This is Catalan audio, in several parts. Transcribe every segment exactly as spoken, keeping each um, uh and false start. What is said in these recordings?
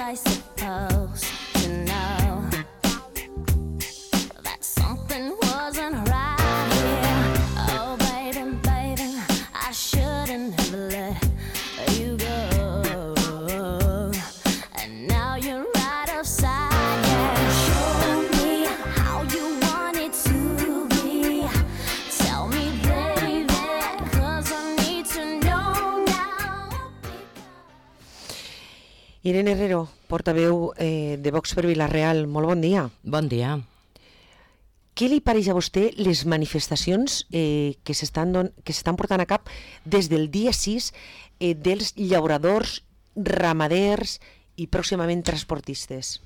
I supposed to know that something wasn't right here? Oh, baby, baby, I shouldn't have let you go. And now you're right upside down. Show me how you want it to be. Tell me, baby, 'cause I need to know now. Irene Herrero, portaveu eh, de Vox per Vila-real, molt bon dia. Bon dia. Què li pareix a vostè les manifestacions eh, que s'estan don- que s'estan portant a cap des del dia sis eh, dels llauradors, ramaders i pròximament transportistes?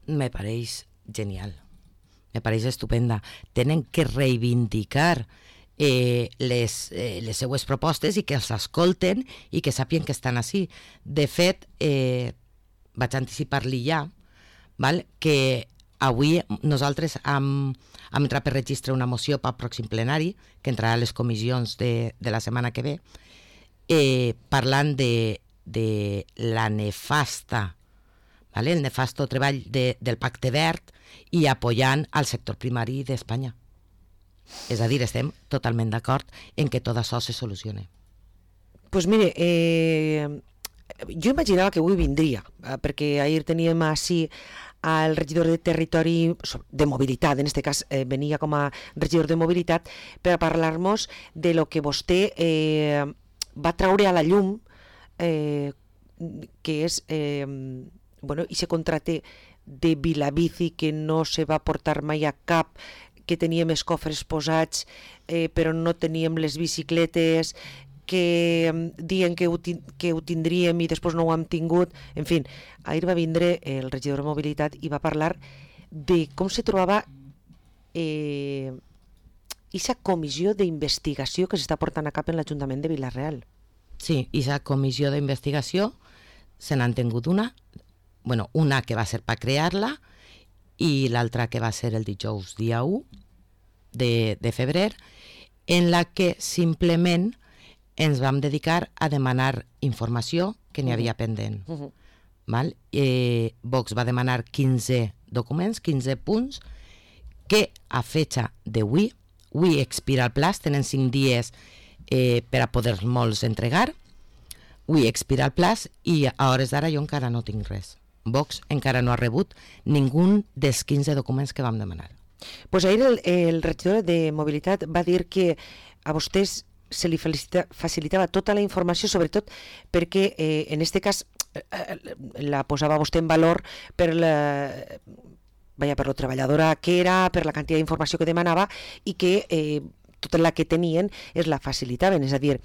Me pareix genial. Me pareix estupenda. Tenen que reivindicar eh, les, eh, les seues propostes i que els escolten i que sàpien que estan així. De fet, eh, vaig anticipar-li ja, val? Que avui nosaltres hem, hem entrat per registre una moció pel pròxim plenari, que entrarà a les comissions de, de la setmana que ve, eh, parlant de, de la nefasta, vale? El nefasto treball de, del Pacte Verd i apoyant al sector primari d'Espanya. És a dir, estem totalment d'acord en que tot això se solucione. Pues mire, eh, jo imaginava que avui vindria, eh, perquè ahir teníem així al regidor de territori, de mobilitat, en aquest cas eh, venia com a regidor de mobilitat, per a parlar-nos de lo que vostè eh, va traure a la llum, eh, que és eh, bueno, i se contracte de Vilabici que no se va portar mai a cap, que teníem els cofres posats eh, però no teníem les bicicletes, que eh, diuen que ho, que ho tindríem i després no ho hem tingut. En fi, ahir va vindre el regidor de mobilitat i va parlar de com se trobava eh, aquesta comissió d'investigació que s'està portant a cap en l'Ajuntament de Vila-real. Sí, aquesta comissió d'investigació se n'han tingut una, bueno, una que va ser per crear-la i l'altra que va ser el dijous dia u de, de febrer, en la que simplement ens vam dedicar a demanar informació que n'hi havia pendent. Uh-huh. Val? Eh, Vox va demanar quinze documents, quinze punts, que a fecha d'avui, avui expira el plaç, tenen cinc dies eh, per a poder-los entregar, avui expira el plaç i a hores d'ara jo encara no tinc res. Vox encara no ha rebut ningú dels quinze documents que vam demanar. Pues ahir el, el regidor de mobilitat va dir que a vostès se li facilita, facilitava tota la informació, sobretot perquè eh, en aquest cas eh, la posava vostè en valor per la, vaja, per lo treballadora que era, per la quantitat d'informació que demanava i que eh, tota la que tenien es la facilitaven, és a dir,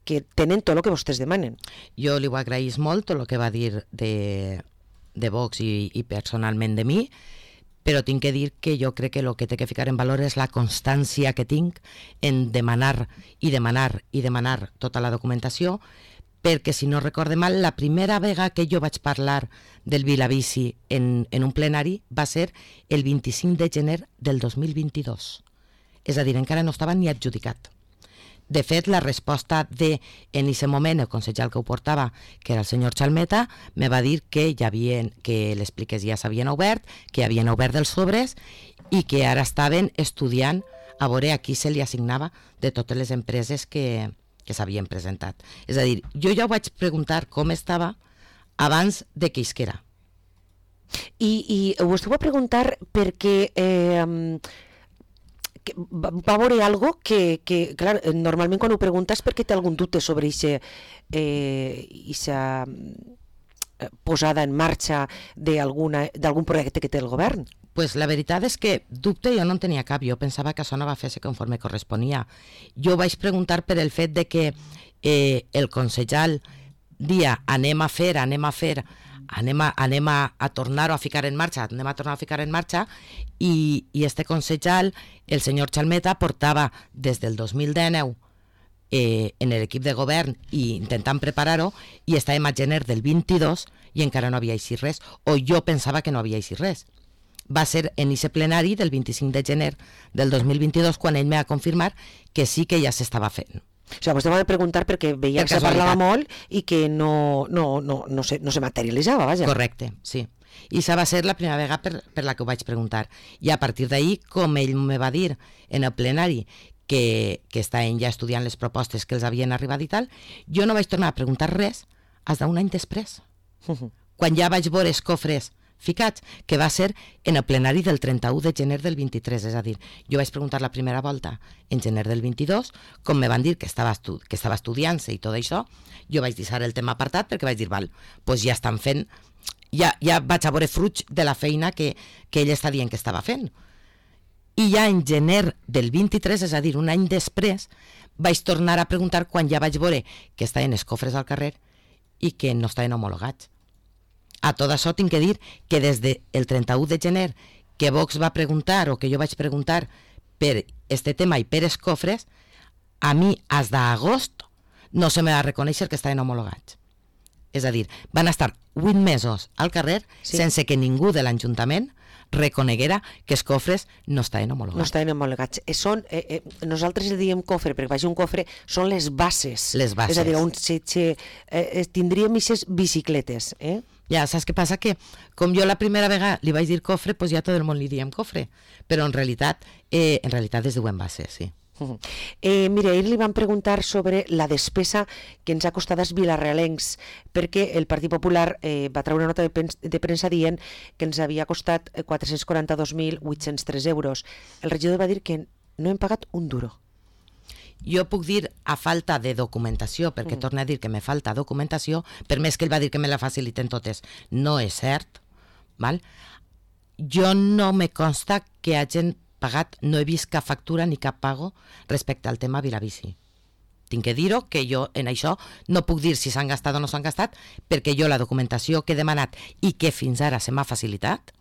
que tenen tot el que vostès demanen. Jo li ho agraïs molt, tot el que va dir de, de Vox i, i personalment de mi, però tinc que dir que jo crec que el que té que ficar en valor és la constància que tinc en demanar i demanar i demanar tota la documentació, perquè si no recorde mal, la primera vegada que jo vaig parlar del Vilabici en, en un plenari va ser el vint-i-cinc de gener del dos mil vint-i-dos. És a dir, encara no estava ni adjudicat. De fet, la resposta de, en aquest moment, el consellal que ho portava, que era el senyor Chalmeta, me va dir que ja havien, que les pliques ja s'havien obert, que havien obert els sobres i que ara estaven estudiant a veure a qui se li assignava de totes les empreses que, que s'havien presentat. És a dir, jo ja ho vaig preguntar com estava abans de que isquera. I, i vostè ho va preguntar perquè... Eh, que va, va veure algo que, que, clar, normalment quan ho preguntes perquè té algun dubte sobre aquesta eh, posada en marxa d'algun projecte que té el govern. Pues la veritat és que dubte jo no en tenia cap, jo pensava que això no va fer-se conforme corresponia. Jo vaig preguntar per el fet de que eh, el consellal dia anem a fer, anem a fer, anem a, anem a, a tornar-ho a ficar en marxa, anem a tornar a ficar en marxa, i, i este consellal, el senyor Chalmeta, portava des del dos mil dinou eh, en l'equip de govern i intentant preparar-ho, i estàvem a gener del vint-i-dos i encara no havia eixit res, o jo pensava que no havia eixit res. Va ser en aquest plenari del vint-i-cinc de gener del dos mil vint-i-dos quan ell me va confirmar que sí que ja s'estava fent. O sigui, vostè va preguntar perquè veia Per que se casualitat. parlava molt i que no, no, no, no, se, no se materialitzava, vaja. Correcte, sí. I això va ser la primera vegada per, per la que ho vaig preguntar. I a partir d'ahir, com ell me va dir en el plenari que, que estaven ja estudiant les propostes que els havien arribat i tal, jo no vaig tornar a preguntar res fins d'un any després. Quan ja vaig veure els cofres ficats, que va ser en el plenari del trenta-u de gener del vint-i-tres, és a dir, jo vaig preguntar la primera volta en gener del vint-i-dos, com me van dir que estava, estu que estava estudiant-se i tot això, jo vaig deixar el tema apartat perquè vaig dir, val, doncs ja estan fent, ja, ja vaig a veure fruits de la feina que, que ell està dient que estava fent. I ja en gener del vint-i-tres, és a dir, un any després, vaig tornar a preguntar quan ja vaig veure que estaven els cofres al carrer i que no estaven homologats. A tot això tinc que dir que des del trenta-u de gener que Vox va preguntar o que jo vaig preguntar per este tema i per els cofres, a mi, fins d'agost, no se me va reconèixer que estaven homologats. És a dir, van estar vuit mesos al carrer Sí. sense que ningú de l'Ajuntament reconeguera que els cofres no estaven homologats. No estaven homologats. Eh, són, eh, eh, nosaltres li diem cofre, perquè vagi un cofre, són les bases. Les bases. És a dir, on se, se, eh, tindríem aquestes bicicletes. Eh? Ja, saps què passa? Que com jo la primera vegada li vaig dir cofre, doncs ja tot el món li diem cofre. Però en realitat, eh, en realitat es diuen bases, sí. Uh-huh. Eh, mira, ahir li van preguntar sobre la despesa que ens ha costat als vilarealencs, perquè el Partit Popular eh, va treure una nota de, pens de premsa dient que ens havia costat quatre-cents quaranta-dos mil vuit-cents tres euros. El regidor va dir que no hem pagat un duro. Jo puc dir a falta de documentació, perquè mm. torno a dir que me falta documentació, per més que ell va dir que me la faciliten totes, no és cert, val? Jo no me consta que hagin pagat, no he vist cap factura ni cap pago respecte al tema Vilabici. Tinc que dir-ho, que jo en això no puc dir si s'han gastat o no s'han gastat, perquè jo la documentació que he demanat i que fins ara se m'ha facilitat,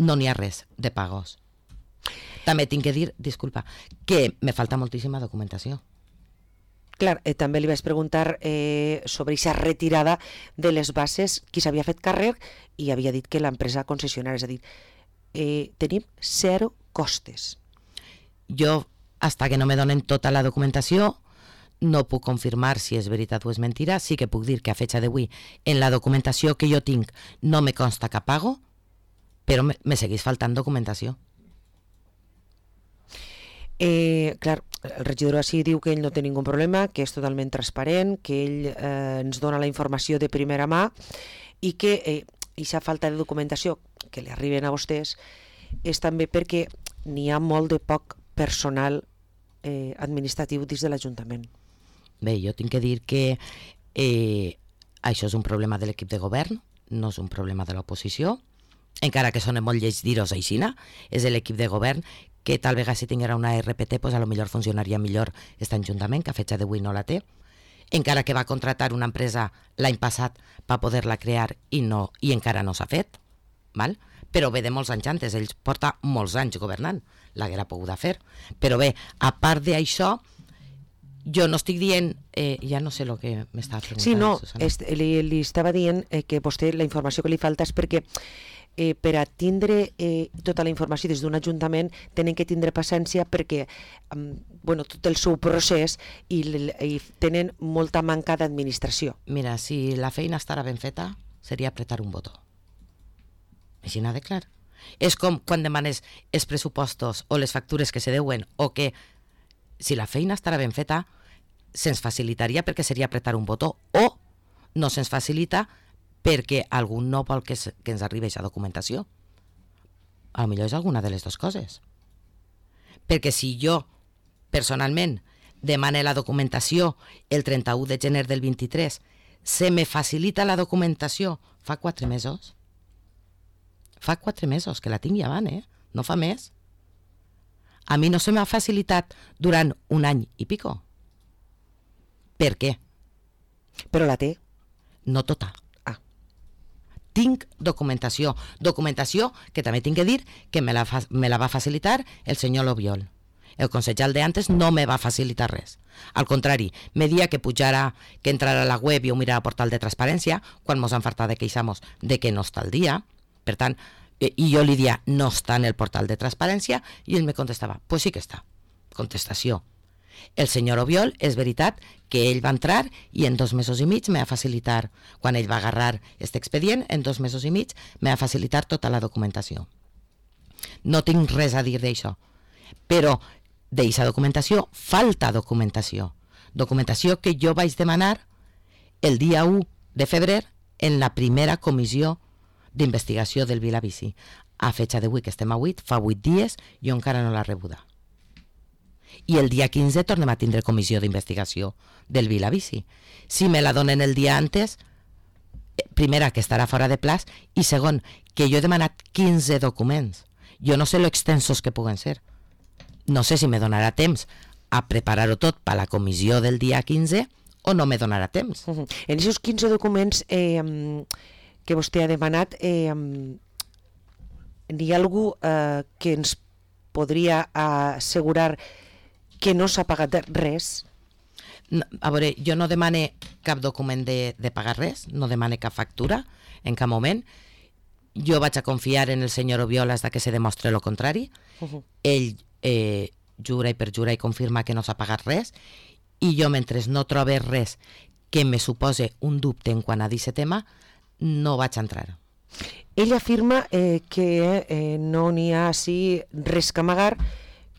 no n'hi ha res de pagos. També tinc que dir, disculpa, que me falta moltíssima documentació. Clar, eh, també li vaig preguntar eh, sobre aquesta retirada de les bases, qui s'havia fet càrrec, i havia dit que l'empresa concessionària, és a dir, eh, tenim zero costes. Jo, hasta que no me donen tota la documentació, no puc confirmar si és veritat o és mentira. Sí que puc dir que a fecha d'avui, en la documentació que jo tinc, no me consta cap pago, però me, me segueix faltant documentació. Eh, clar, el regidor així diu que ell no té ningú problema, que és totalment transparent, que ell eh, ens dona la informació de primera mà i que eh, aquesta falta de documentació que li arriben a vostès és també perquè n'hi ha molt de poc personal eh, administratiu dins de l'Ajuntament. Bé, jo tinc que dir que eh, això és un problema de l'equip de govern, no és un problema de l'oposició, encara que sona molt lleig dir-ho aixina, és l'equip de govern que tal vegada si tinguera una R P T pues a lo millor funcionaria millor aquest Ajuntament, que a fecha d'avui no la té, encara que va contratar una empresa l'any passat per poder-la crear i, no, i encara no s'ha fet, val? Però ve de molts anys antes, ells porta molts anys governant, l'haguera pogut fer. Però bé, a part d'això, jo no estic dient, eh, ja no sé el que m'estava preguntant. Sí, no, Susana. est, li, li estava dient eh, que vostè la informació que li falta és perquè eh, per a tindre eh, tota la informació des d'un ajuntament tenen que tindre paciència perquè um, bueno, tot el seu procés i, i tenen molta manca d'administració. Mira, si la feina estarà ben feta, seria apretar un botó. Així n'ha de clar. És com quan demanes els pressupostos o les factures que se deuen, o que si la feina estarà ben feta se'ns facilitaria perquè seria apretar un botó, o no se'ns facilita perquè algú no vol que, se, que ens arribi aquesta documentació. A lo millor és alguna de les dues coses. Perquè si jo, personalment, demane la documentació el trenta-u de gener del vint-i-tres, se me facilita la documentació fa quatre mesos. Fa quatre mesos que la tinc ja van, eh? No fa més. A mi no se m'ha facilitat durant un any i pico. Per què? Però la té. No tota. Ah. Tinc documentació. Documentació que també tinc que dir que me la, fa, me la va facilitar el senyor Lobiol. El consellal de antes no me va facilitar res. Al contrari, me dia que pujara, que entrara a la web i ho mirara al portal de transparència, quan mos han fartat de queixamos de que no està al dia. Per tant, i jo li dia, no està en el portal de transparència, i ell me contestava, pues sí que està. Contestació. El senyor Obiol, és veritat que ell va entrar i en dos mesos i mig me va facilitar, quan ell va agarrar aquest expedient, en dos mesos i mig me va facilitar tota la documentació. No tinc res a dir d'això, però d'aquesta documentació falta documentació. Documentació que jo vaig demanar el dia u de febrer en la primera comissió d'investigació del Vilavici. A fecha d'avui, que estem a vuit, fa vuit dies, jo encara no l'he rebuda. I el dia quinze tornem a tindre comissió d'investigació del Vilavici. Si me la donen el dia antes, primera, que estarà fora de plaç, i segon, que jo he demanat quinze documents. Jo no sé lo extensos que puguen ser. No sé si me donarà temps a preparar-ho tot per a la comissió del dia quinze o no me donarà temps. Uh -huh. En aquests quinze documents eh, que vostè ha demanat, eh, n'hi ha algú eh, que ens podria assegurar que no s'ha pagat res? No, a veure, jo no demane cap document de, de pagar res, no demane cap factura en cap moment. Jo vaig a confiar en el senyor Obiol hasta que se demostre lo contrari. Uh -huh. Ell eh, jura i perjura i confirma que no s'ha pagat res, i jo, mentre no trobe res que me supose un dubte en quant a aquest tema, no vaig a entrar. Ell afirma eh, que eh, no n'hi ha així res que amagar,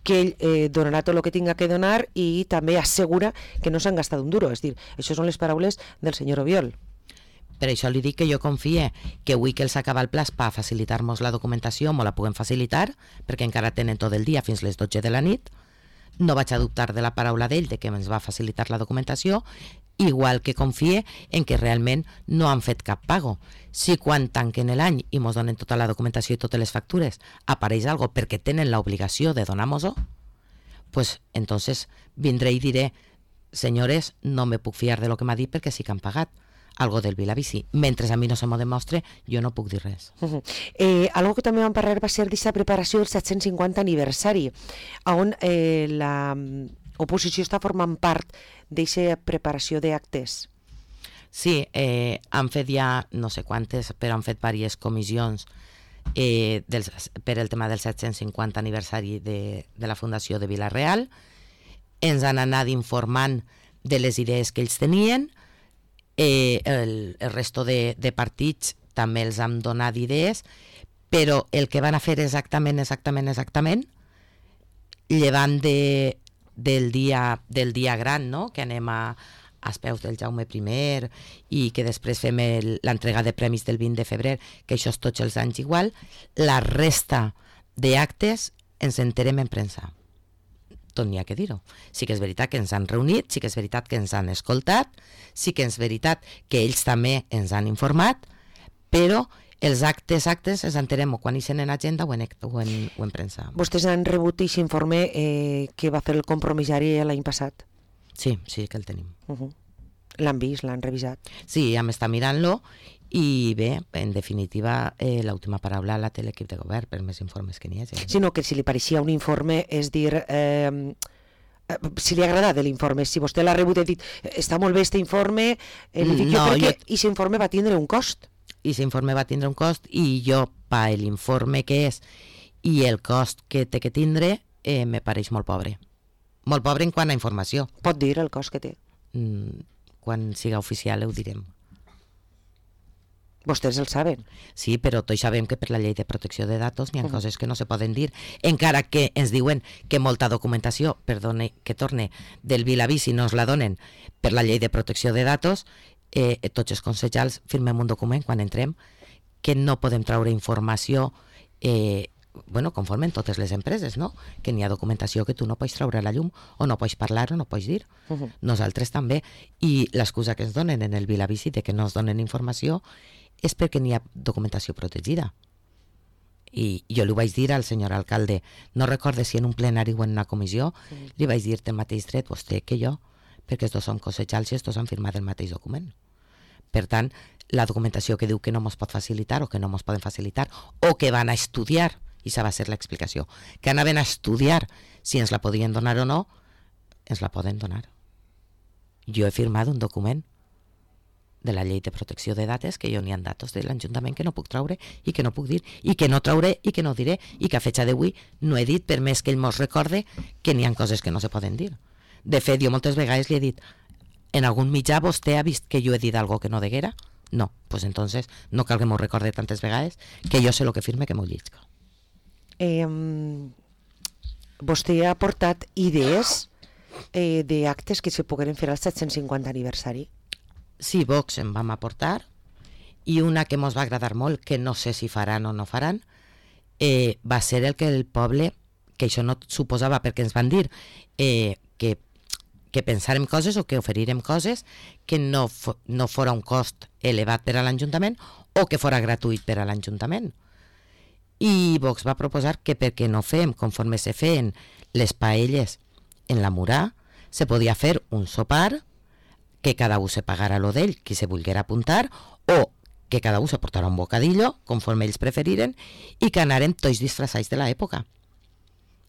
que ell eh, donarà tot el que tinga que donar, i també assegura que no s'han gastat un duro. És dir, això són les paraules del senyor Obiol. Per això li dic que jo confie que avui que els acaba el plaç per facilitar-nos la documentació, me la puguem facilitar, perquè encara tenen tot el dia fins les dotze de la nit. No vaig a dubtar de la paraula d'ell de que ens va facilitar la documentació, igual que confie en que realment no han fet cap pago. Si quan tanquen l'any i ens donen tota la documentació i totes les factures apareix algo perquè tenen l'obligació de donar-nos-ho, pues entonces vindré i diré, senyores, no me puc fiar de lo que m'ha dit perquè sí que han pagat algo del Vilavici. Mentre a mi no se m'ho demostre, jo no puc dir res. Uh -huh. eh, algo que també vam parlar va ser d'aquesta preparació del set-cents cinquanta aniversari, on eh, la oposició està formant part d'aquesta preparació d'actes. Sí, eh, han fet ja no sé quantes, però han fet diverses comissions eh, dels, per el tema del set-cents cinquanta aniversari de, de la Fundació de Vila-real. Ens han anat informant de les idees que ells tenien. Eh, el, el resto de, de partits també els han donat idees, però el que van a fer exactament, exactament, exactament, llevant de, del, dia, del dia gran, no?, que anem a, als peus del Jaume primer i que després fem l'entrega de premis del vint de febrer, que això és tots els anys igual, la resta d'actes ens enterem en premsa. Tot n'hi ha que dir-ho. Sí que és veritat que ens han reunit, sí que és veritat que ens han escoltat, sí que és veritat que ells també ens han informat, però els actes, actes, els enterem o quan hi sent en agenda o en, o en, o en premsa. Vostès han rebut aquest informe eh, que va fer el compromissari l'any passat? Sí, sí que el tenim. Uh -huh. L'han vist, l'han revisat? Sí, ja m'està mirant-lo i bé, en definitiva, eh, l'última paraula la té l'equip de govern per més informes que n'hi hagi. Sinó que si li pareixia un informe, és dir, eh, si li ha agradat l'informe, si vostè l'ha rebut i ha dit està molt bé aquest informe, eh, li dic no, jo perquè jo... aquest informe va tindre un cost. I aquest informe va tindre un cost i jo, per l'informe que és i el cost que té que tindre, eh, me pareix molt pobre. Molt pobre en quant a informació. Pot dir el cost que té? Mm, quan siga oficial ho direm. Vostès el saben. Sí, però tots sabem que per la llei de protecció de datos n'hi ha uh -huh. coses que no se poden dir, encara que ens diuen que molta documentació, perdone que torne, del Vilavici no ens la donen per la llei de protecció de datos, eh, tots els consellers firmem un document quan entrem que no podem treure informació eh, bueno, conforme en totes les empreses, no? Que n'hi ha documentació que tu no pots treure a la llum o no pots parlar o no pots dir. Uh -huh. Nosaltres també. I l'excusa que ens donen en el Vilavici de que no ens donen informació és perquè n'hi ha documentació protegida. I jo li vaig dir al senyor alcalde, no recorde si en un plenari o en una comissió, sí. li vaig dir el mateix dret vostè que jo, perquè estos són consellers i estos han firmat el mateix document. Per tant, la documentació que diu que no ens pot facilitar o que no ens poden facilitar o que van a estudiar, i això va ser l'explicació, que anaven a estudiar si ens la podien donar o no, ens la poden donar. Jo he firmat un document de la llei de protecció de dates que jo n'hi ha datos de l'Ajuntament que no puc traure i que no puc dir, i que no trauré i que no diré, i que a fecha d'avui no he dit per més que ell mos recorde que n'hi ha coses que no se poden dir. De fet, jo moltes vegades li he dit, en algun mitjà vostè ha vist que jo he dit algo que no deguera? No, pues entonces no cal que m'ho recorde tantes vegades que jo sé el que firme que m'ho llisc. Eh, vostè ha portat idees eh, d'actes que se pogueren fer al set-cents cinquanta aniversari? Sí, Vox em vam aportar, i una que mos va agradar molt, que no sé si faran o no faran, eh, va ser el que el poble, que això no suposava perquè ens van dir eh, que, que pensarem coses o que oferirem coses que no, fo, no fora un cost elevat per a l'Ajuntament o que fora gratuït per a l'Ajuntament. I Vox va proposar que perquè no fem conforme se feien les paelles en la Murà, se podia fer un sopar, que cada un se pagara lo d'ell, qui se volguera apuntar, o que cada un se portara un bocadillo, conforme ells preferiren, i que anàrem tots disfressats de l'època.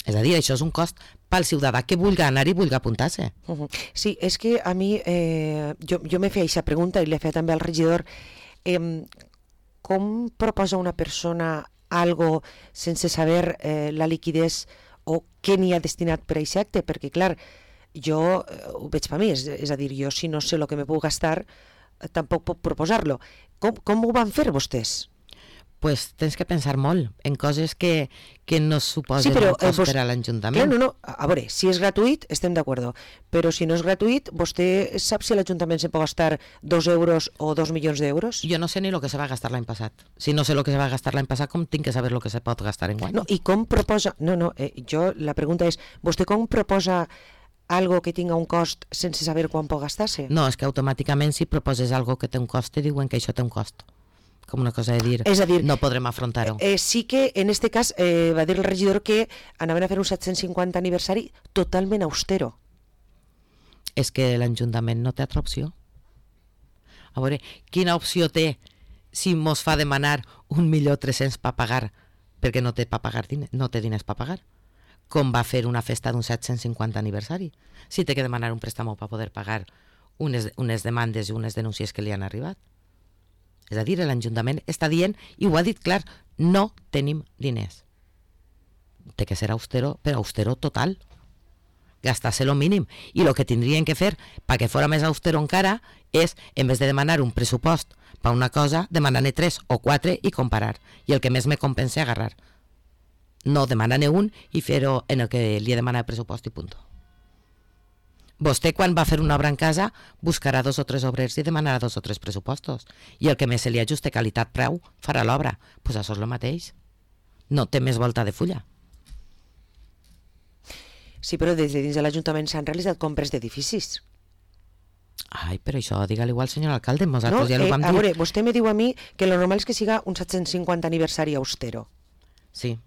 És a dir, això és un cost pel ciutadà que vulgui anar i vulgui apuntar-se. Uh-huh. Sí, és que a mi, eh, jo, jo m'he fet aquesta pregunta i l'he fet també al regidor, eh, com proposa una persona algo sense saber eh, la liquidez o què n'hi ha destinat per a aquest acte? Perquè, clar, jo eh, ho veig per mi, és, és a dir, jo si no sé el que me puc gastar, eh, tampoc puc proposar-lo. Com, com ho van fer vostès? Pues tens que pensar molt en coses que, que no suposen sí, però, un cost eh, vos... per a l'Ajuntament. Clar, no, no, a veure, si és gratuït, estem d'acord, però si no és gratuït, vostè sap si l'Ajuntament se pot gastar dos euros o dos milions d'euros? Jo no sé ni el que se va gastar l'any passat. Si no sé el que se va gastar l'any passat, com tinc que saber el que se pot gastar en guany? No, i com proposa... No, no, eh, jo, la pregunta és, vostè com proposa algo que tinga un cost sense saber quan pot gastar-se? No, és que automàticament si proposes algo que té un cost, te diuen que això té un cost. Com una cosa de dir, és a dir no podrem afrontar-ho. Eh, sí que en este cas eh, va dir el regidor que anaven a fer un set-cents cinquanta aniversari totalment austero. És que l'Ajuntament no té altra opció. A veure, quina opció té si mos fa demanar un milió tres-cents per pagar perquè no té, pa pagar diners, no té diners per pagar? Com va fer una festa d'un set-cents cinquanta aniversari? Si té que demanar un préstamo per poder pagar unes, unes demandes i unes denúncies que li han arribat. És a dir, l'Ajuntament està dient, i ho ha dit clar, no tenim diners. Té que ser austero, però austero total. Gastar-se lo mínim. I el que tindrien que fer, perquè fora més austero encara, és, en vez de demanar un pressupost per una cosa, demanar-ne tres o quatre i comparar. I el que més me compensa agarrar. No demanar-ne un i fer-ho en el que li he demanat el pressupost i punt. Vostè, quan va fer una obra en casa, buscarà dos o tres obrers i demanarà dos o tres pressupostos. I el que més se li ajuste qualitat-preu farà l'obra. Doncs pues això és el mateix. No té més volta de fulla. Sí, però des de dins de l'Ajuntament s'han realitzat compres d'edificis. Ai, però això, digue-li igual, senyor alcalde, nosaltres no, ja l'ho eh, vam dir. A veure, dir. vostè me diu a mi que lo normal és que siga un set-cents cinquanta aniversari austero. Sí.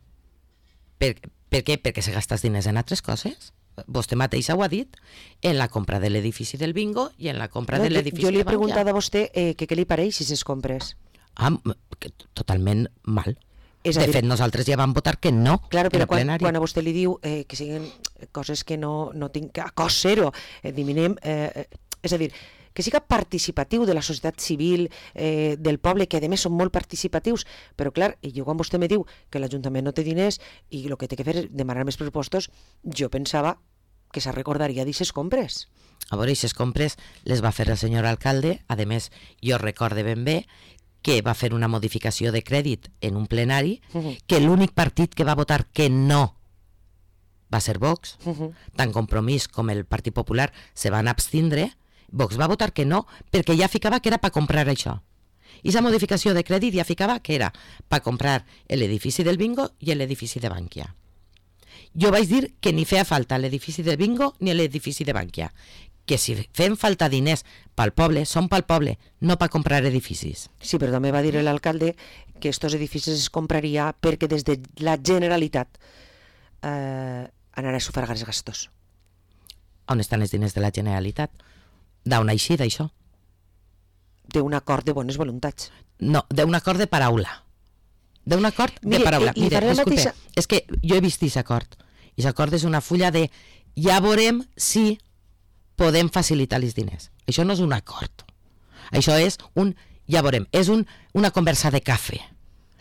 Per, per què? Perquè se gastes diners en altres coses? Vostè mateixa ho ha dit, en la compra de l'edifici del bingo i en la compra no, de l'edifici jo, jo li he de Bankia. preguntat a vostè eh, que què li pareix si ses compres. Ah, que totalment mal. És a de dir, fet, nosaltres ja vam votar que no claro, en però el quan, plenari. quan a vostè li diu eh, que siguin coses que no, no tinc a cost zero, eh, diminem, eh, és a dir, que siga participatiu de la societat civil, eh, del poble, que a més són molt participatius, però clar, i jo quan vostè me diu que l'Ajuntament no té diners i el que té que fer és demanar més pressupostos, jo pensava que se recordaria d'aixes compres. A veure, aquestes compres les va fer el senyor alcalde, a més, jo recorde ben bé que va fer una modificació de crèdit en un plenari, Uh-huh. que l'únic partit que va votar que no va ser Vox, Uh-huh. tant Compromís com el Partit Popular se van abstindre. Vox va votar que no, perquè ja ficava que era per comprar això. I aquesta modificació de crèdit ja ficava que era per comprar l'edifici del bingo i l'edifici de Bankia. Jo vaig dir que ni feia falta l'edifici del bingo ni l'edifici de Bankia, que si fem falta diners pel poble, són pel poble, no per comprar edificis. Sí, però també va dir l'alcalde que estos edificis es compraria perquè des de la Generalitat eh, anarà a sufragar els gastos. On estan els diners de la Generalitat? D'on així, d'això? D'un acord de bones voluntats. No, d'un acord de paraula. D'un acord de Mire, paraula. i- i Mire, faré la disculpe, mateixa- és que jo he vist aquest acord. I aquest acord és una fulla de ja veurem si podem facilitar els diners. Això no és un acord. Això és un ja veurem. És un, una conversa de cafè.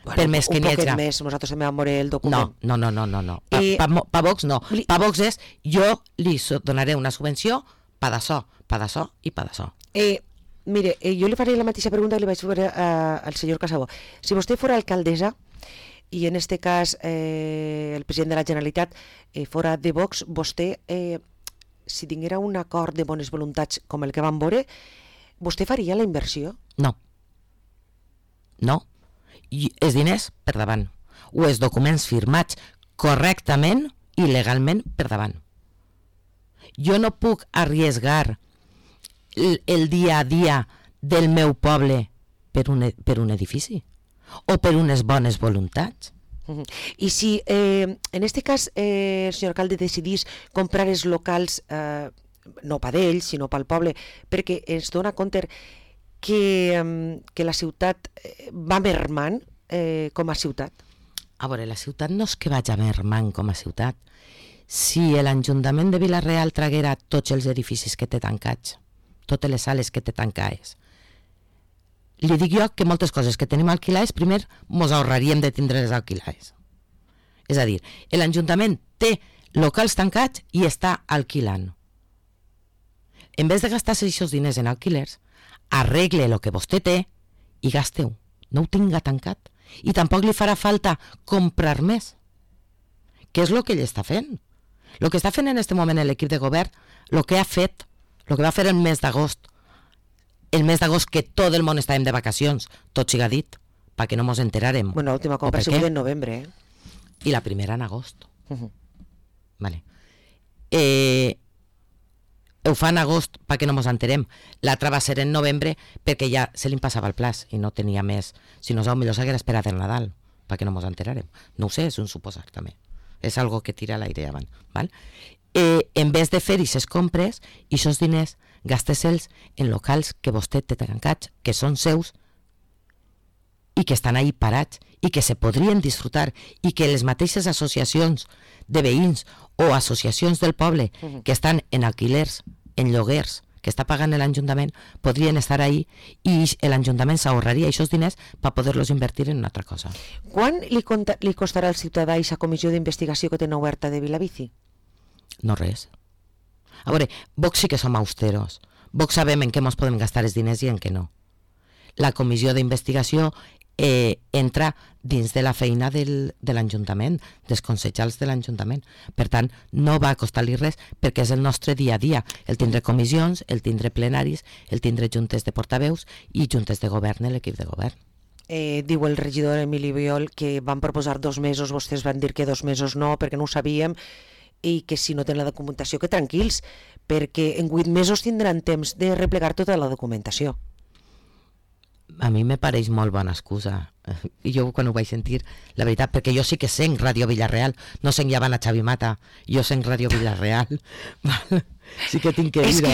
Bueno, per més que un n'hi poquet haja. més, nosaltres també vam veure el document. No, no, no, no, no. Pa, I- pa, mo- pa Vox no. Li- Pa Vox és jo li so- donaré una subvenció pa d'açò, pa d'açò i pa d'açò. Eh, mire, eh, jo li faré la mateixa pregunta que li vaig fer a- al senyor Casabó. Si vostè fora alcaldessa i en este cas eh, el president de la Generalitat eh, fora de Vox, vostè, eh, si tinguera un acord de bones voluntats com el que vam veure, vostè faria la inversió? No. No. I els diners per davant. O els documents firmats correctament i legalment per davant. Jo no puc arriesgar el, el dia a dia del meu poble per un, e- per un edifici o per unes bones voluntats. Mhm. I si eh, en este cas eh, el senyor alcalde decidís comprar els locals eh, no pa d'ells sinó pel poble, perquè es dona compte que, eh, que la ciutat eh, va mermant eh, com a ciutat. A veure, la ciutat no és que vagi mermant com a ciutat. Si l'Ajuntament de Vila-real traguera tots els edificis que té tancats, totes les sales que té tancades, li dic jo que moltes coses que tenim alquilades, primer mos ahorraríem de tindre les alquilades. És a dir, l'Ajuntament té locals tancats i està alquilant. En vez de gastar-se aquests diners en alquilers, arregle el que vostè té i gasteu. No ho tinga tancat. I tampoc li farà falta comprar més. Què és el que ell està fent? El que està fent en aquest moment l'equip de govern, el que ha fet, el que va fer el mes d'agost, el mes d'agost que tot el món estàvem de vacacions, tot siga dit, perquè no mos enterarem. Bueno, l'última compra ha per sigut què? en novembre. Eh? I la primera en agost. Mhm. Vale. Eh, ho fa en agost perquè no mos enterem. L'altra va ser en novembre perquè ja se li passava el plaç i no tenia més. Si no, millor s'haguera esperat el Nadal perquè no mos enterarem. No ho sé, és un suposar també. És algo que tira l'aire avant. Val? Eh, en vez de fer aquestes compres, aquests diners gastes-els en locals que vostè té tancats, que són seus i que estan ahí parats i que se podrien disfrutar i que les mateixes associacions de veïns o associacions del poble que estan en alquilers, en lloguers, que està pagant l'Ajuntament, podrien estar ahí i l'Ajuntament s'ahorraria aquests diners per poder-los invertir en una altra cosa. Quan li, conta, li costarà al ciutadà aquesta comissió d'investigació que tenen oberta de Vilabici? No res. A veure, Vox sí que som austeros. Vox sabem en què ens podem gastar els diners i en què no. La comissió d'investigació eh, entra dins de la feina del, de l'Ajuntament, dels consellers de l'Ajuntament. Per tant, no va costar-li res perquè és el nostre dia a dia. El tindre comissions, el tindre plenaris, el tindre juntes de portaveus i juntes de govern en l'equip de govern. Eh, diu el regidor Emili Biol que van proposar dos mesos, vostès van dir que dos mesos no, perquè no ho sabíem, i que si no tenen la documentació, que tranquils, perquè en vuit mesos tindran temps de replegar tota la documentació. A mi me pareix molt bona excusa. I jo quan ho vaig sentir, la veritat, perquè jo sí que senc Ràdio Vila-real, no senc Llevant a Xavi Mata, jo senc Ràdio Vila-real. Sí que tinc que dir-ho.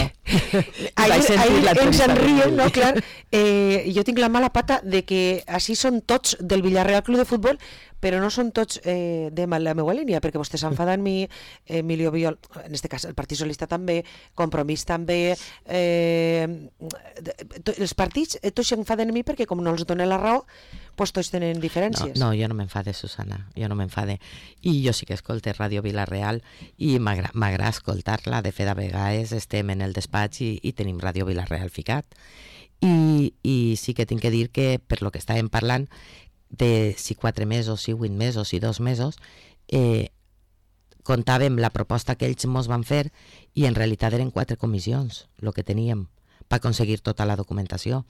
Ahir, ahir ens en riem, no? Clar, eh, jo tinc la mala pata de que així són tots del Villarreal Club de Futbol, però no són tots eh, de la meva línia, perquè vostè s'enfada en mi, Emilio Biol, en este cas el Partit Socialista també, Compromís també, eh, els partits eh, tots s'enfaden en mi perquè com no els donen la raó, pues tots tenen diferències. No, no, jo no m'enfade, Susana, jo no m'enfade. I jo sí que escolte Ràdio Vila-real i m'agrada escoltar-la. De fet, a vegades estem en el despatx i, i tenim Ràdio Vila-real ficat. I, I sí que tinc que dir que, per lo que estàvem parlant, de si quatre mesos, si vuit mesos, si dos mesos, eh, comptàvem la proposta que ells ens van fer i en realitat eren quatre comissions, el que teníem, per aconseguir tota la documentació.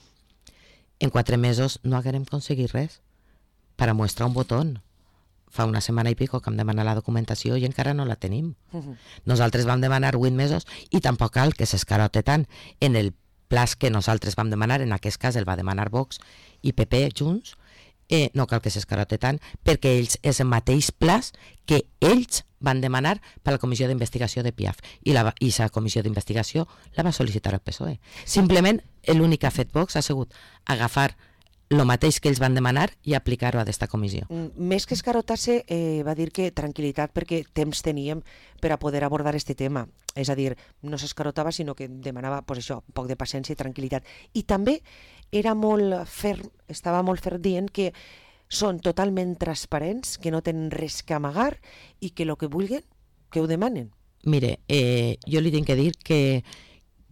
En quatre mesos no haguérem aconseguit res per a mostrar un botó. Fa una setmana i pico que hem demanat la documentació i encara no la tenim. Uh-huh. Nosaltres vam demanar vuit mesos i tampoc cal que s'escarote tant. En el plaç que nosaltres vam demanar, en aquest cas el va demanar Vox i P P junts, eh, no cal que s'escarote tant perquè ells és el mateix plaç que ells van demanar per a la comissió d'investigació de Piaf i la i la comissió d'investigació la va sol·licitar el P S O E. Simplement l'únic que ha fet Vox ha sigut agafar el mateix que ells van demanar i aplicar-ho a aquesta comissió. Més que escarotar-se, eh, va dir que tranquil·litat perquè temps teníem per a poder abordar este tema. És a dir, no s'escarotava, sinó que demanava pues això, un poc de paciència i tranquil·litat. I també era molt ferm, estava molt ferm dient que són totalment transparents, que no tenen res que amagar i que el que vulguin, que ho demanen. Mire, eh, jo li tinc que dir que,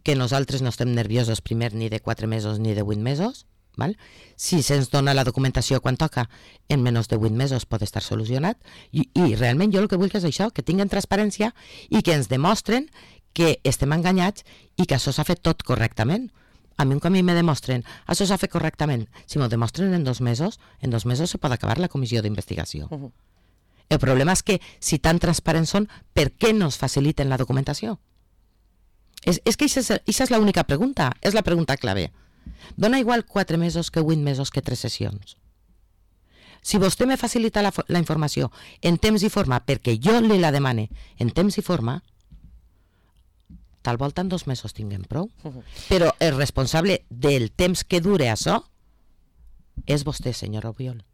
que nosaltres no estem nerviosos primer ni de quatre mesos ni de vuit mesos, val? Si se'ns dona la documentació quan toca, en menys de vuit mesos pot estar solucionat, i, i realment jo el que vull és això, que tinguin transparència i que ens demostren que estem enganyats i que això s'ha fet tot correctament. A mi un camí me demostren, això s'ha fet correctament. Si m'ho demostren en dos mesos, en dos mesos se pot acabar la comissió d'investigació. Uh-huh. El problema és que, si tan transparents són, per què no es faciliten la documentació? És, és que aquesta és, és l'única pregunta, és la pregunta clave. Dona igual quatre mesos que vuit mesos que tres sessions. Si vostè me facilita la, la informació en temps i forma, perquè jo li la demane en temps i forma, tal volta en dos mesos tinguem prou. Uh-huh. Però el responsable del temps que dure això és vostè, senyor Obiol.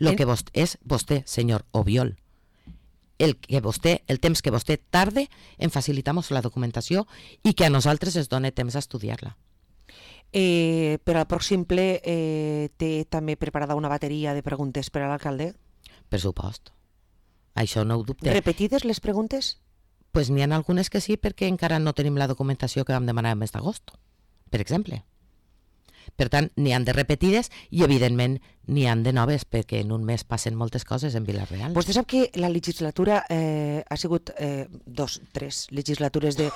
Lo que vostè, és vostè, senyor Obiol. El, que vostè, el temps que vostè tarde en facilitar-nos la documentació i que a nosaltres es doni temps a estudiar-la. Eh, per al pròxim ple eh, té també preparada una bateria de preguntes per a l'alcalde? Per supost. Això no ho dubte. Repetides les preguntes? Pues n'hi ha algunes que sí, perquè encara no tenim la documentació que vam demanar el mes d'agost, per exemple. Per tant, n'hi han de repetides i, evidentment, n'hi han de noves, perquè en un mes passen moltes coses en Vila-real. Vostè sap que la legislatura eh, ha sigut eh, dos, tres legislatures de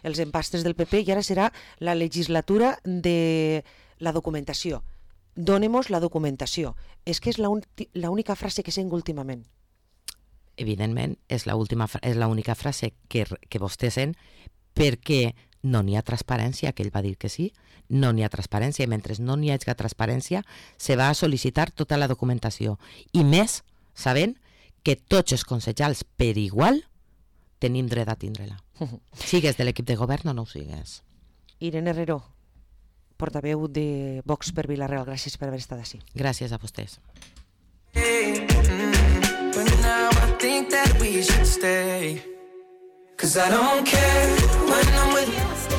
els empastres del P P i ara serà la legislatura de la documentació. Dónemos la documentació. És que és l'única frase que sent últimament. Evidentment, és l'única frase que, que vostè sent perquè no n'hi ha transparència, que ell va dir que sí, no n'hi ha transparència, i mentre no n'hi hagi transparència se va a sol·licitar tota la documentació. I més, sabent que tots els consellers per igual tenim dret a tindre-la. Sigues de l'equip de govern o no ho sigues. Irene Herrero, portaveu de Vox per Vila-real, gràcies per haver estat així. Gràcies a vostès. But now I think that we should stay, 'cause I don't care when I'm with you.